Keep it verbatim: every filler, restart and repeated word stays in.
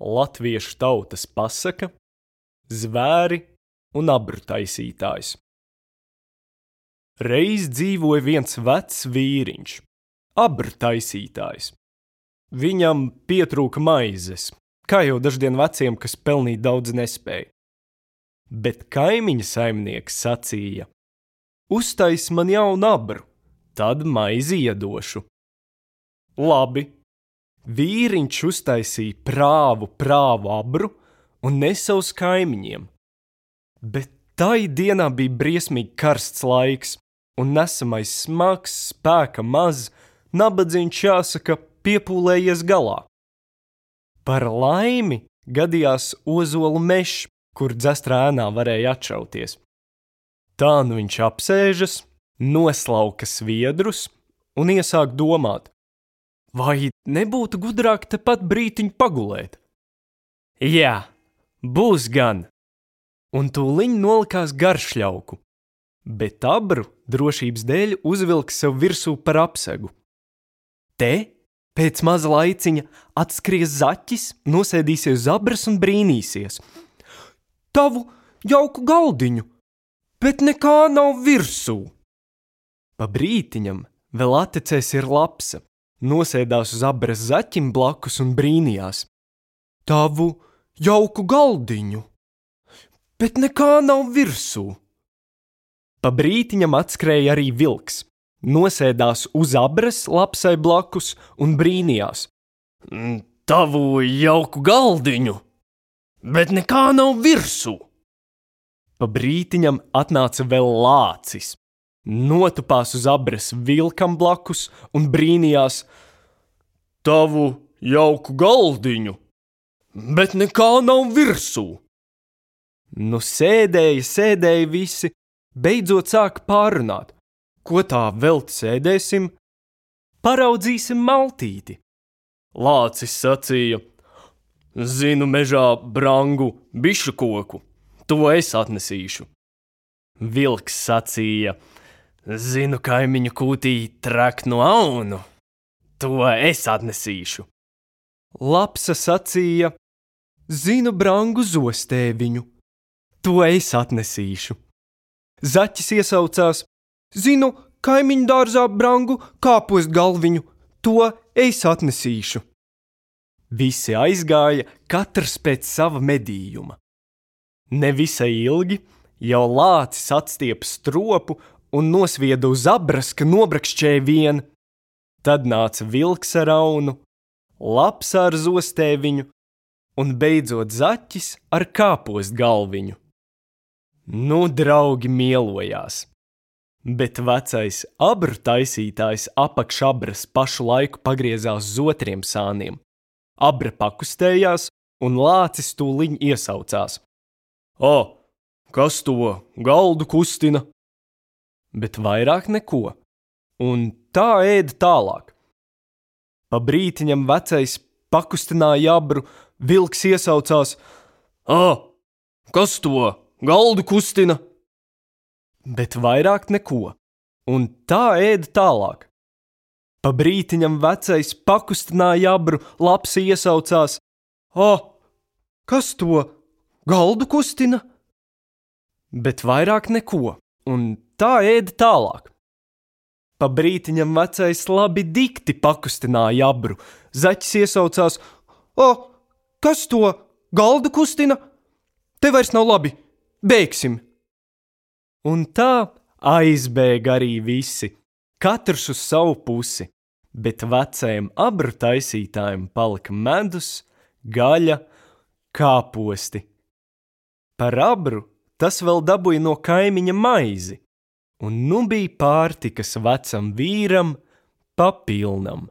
latviešu tautas pasaka, zvēri un abru taisītājs. Reiz dzīvoja viens vecs vīriņš, abru taisītājs. Viņam pietrūka maizes, kā jau daždien veciem, kas pelnīt daudz nespēja. Bet kaimiņa saimnieks sacīja: uztais man jaunu abru, tad maizi iedošu. Labi, vīriņš uztaisīja prāvu prāvu abru un nesa uz kaimiņiem. Bet tai dienā bija briesmīgi karsts laiks, un nesamais smags, spēka maz, nabadzīņš, jāsaka, piepūlējies galā. Par laimi gadījās ozolu mešs, kur dzestrā ēnā varēja atšauties. Tā nu viņš apsēžas, noslauka sviedrus un iesāk domāt, vai nebūtu gudrāk tepat brītiņu pagulēt? Jā, būs gan. Un tūliņ nolikās garšļauku, bet abru drošības dēļ uzvilka sev virsū par apsegu. Te, pēc maza laiciņa, atskries zaķis, nosēdīsies uz abras un brīnīsies. Tavu jauku galdiņu, bet nekā nav virsū. Pa brītiņam vēl atecēs ir lapsa, nosēdās uz abras zaķim blakus un brīnījās. Tavu jauku galdiņu, bet nekā nav virsū. Pa brītiņam atskrēja arī vilks, nosēdās uz abras lapsai blakus un brīnījās. Tavu jauku galdiņu, bet nekā nav virsū. Pa brītiņam atnāca vēl lācis, notupās uz abras vilkam blakus un brīnījās. Tavu jauku galdiņu, bet nekā nav virsū. Nu sēdēja, sēdēja visi, beidzot sāka pārunāt. Ko tā velti sēdēsim? Paraudzīsim maltīti. Lācis sacīja: zinu mežā brangu bišu koku, to es atnesīšu. Vilks sacīja: zinu kaimiņu kūtī traknu aunu, to es atnesīšu. Lapsa sacīja: zinu brangu zostēviņu, to es atnesīšu. Zaķis iesaucās: zinu kaimiņu dārzā brangu kāpost galviņu, to es atnesīšu. Visi aizgāja, katrs pēc sava medījuma. Nevisai ilgi jau lācis atstiepa stropu un nosvieda uz abras, ka nobrakšķēja vien. Tad nāca vilks ar aunu, lapsa ar zostēviņu un beidzot zaķis ar kāpost galviņu. Nu, draugi mielojās, bet vecais abru taisītājs apakš abras pašu laiku pagriezās uz otriem sāniem. Abra pakustējās, un lācis tūliņ iesaucās: O, kas to galdu kustina? Bet vairāk neko, un tā ēda tālāk. Pa brītiņam vecais pakustināja abru, vilks iesaucās: O, kas to galdu kustina? Bet vairāk neko, un tā ēda tālāk. Pa brītiņam vecais pakustināja abru, lapsi iesaucās: O, kas to galdu kustina? Bet vairāk neko, un tā ēda tālāk. Pa brītiņam vecais labi dikti pakustināja abru, zaķis iesaucās: O, kas to galdu kustina? Te vairs nav labi, beigsim. Un tā aizbēga arī visi, katrs uz savu pusi, bet vecajam abru taisītājam palika medus, gaļa, kāposti. Par abru tas vēl dabūja no kaimiņa maizi, un nu bija pārtikas vecam vīram pa pilnam.